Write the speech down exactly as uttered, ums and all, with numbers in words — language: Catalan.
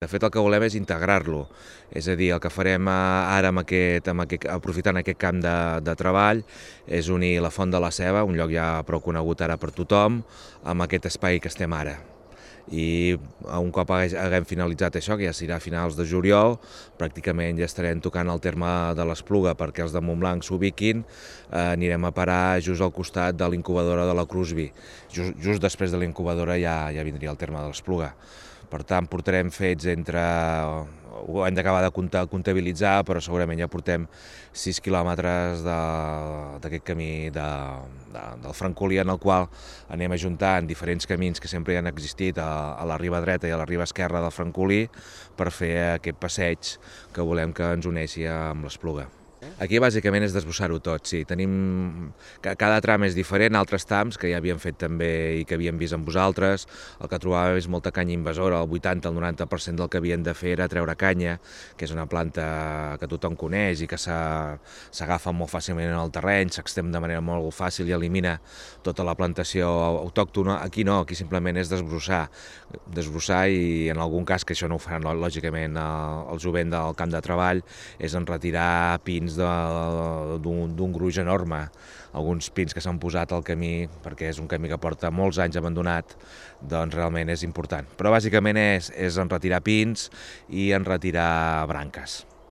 De fet, el que volem és integrar-lo, és a dir, el que farem ara amb aquest, amb aquest, aprofitant aquest camp de, de treball és unir la Font de la Ceba, un lloc ja prou conegut ara per tothom, amb aquest espai que estem ara. I un cop haguem finalitzat això, que ja serà a finals de juliol, pràcticament ja estarem tocant el terme de l'Espluga perquè els de Montblanc s'ubiquin, eh, anirem a parar just al costat de l'incubadora de la Crosby. Just, just després de l'incubadora ja, ja vindria el terme de l'Espluga. Per tant, portarem fets entre, ho hem d'acabar de comptabilitzar, però segurament ja portem sis quilòmetres d'aquest camí de, de, del Francolí, en el qual anem ajuntant diferents camins que sempre hi han existit a, a la riba dreta i a la riba esquerra del Francolí per fer aquest passeig que volem que ens uneixi amb l'Espluga. Aquí bàsicament és desbrossar-ho tot, sí. Tenim... Cada tram és diferent, altres trams que ja havíem fet també i que havíem vist amb vosaltres. El que trobàvem és molta canya invasora, el vuitanta al noranta per cent del que havien de fer era treure canya, que és una planta que tothom coneix i que s'agafa molt fàcilment en el terreny, s'extén de manera molt fàcil i elimina tota la plantació autòctona. Aquí no, aquí simplement és desbrossar, desbrossar i en algun cas, que això no ho faran lògicament el jovent del camp de treball, és en retirar pins d'un gruix enorme, alguns pins que s'han posat al camí perquè és un camí que porta molts anys abandonat, doncs realment és important. Però bàsicament és, és en retirar pins i en retirar branques.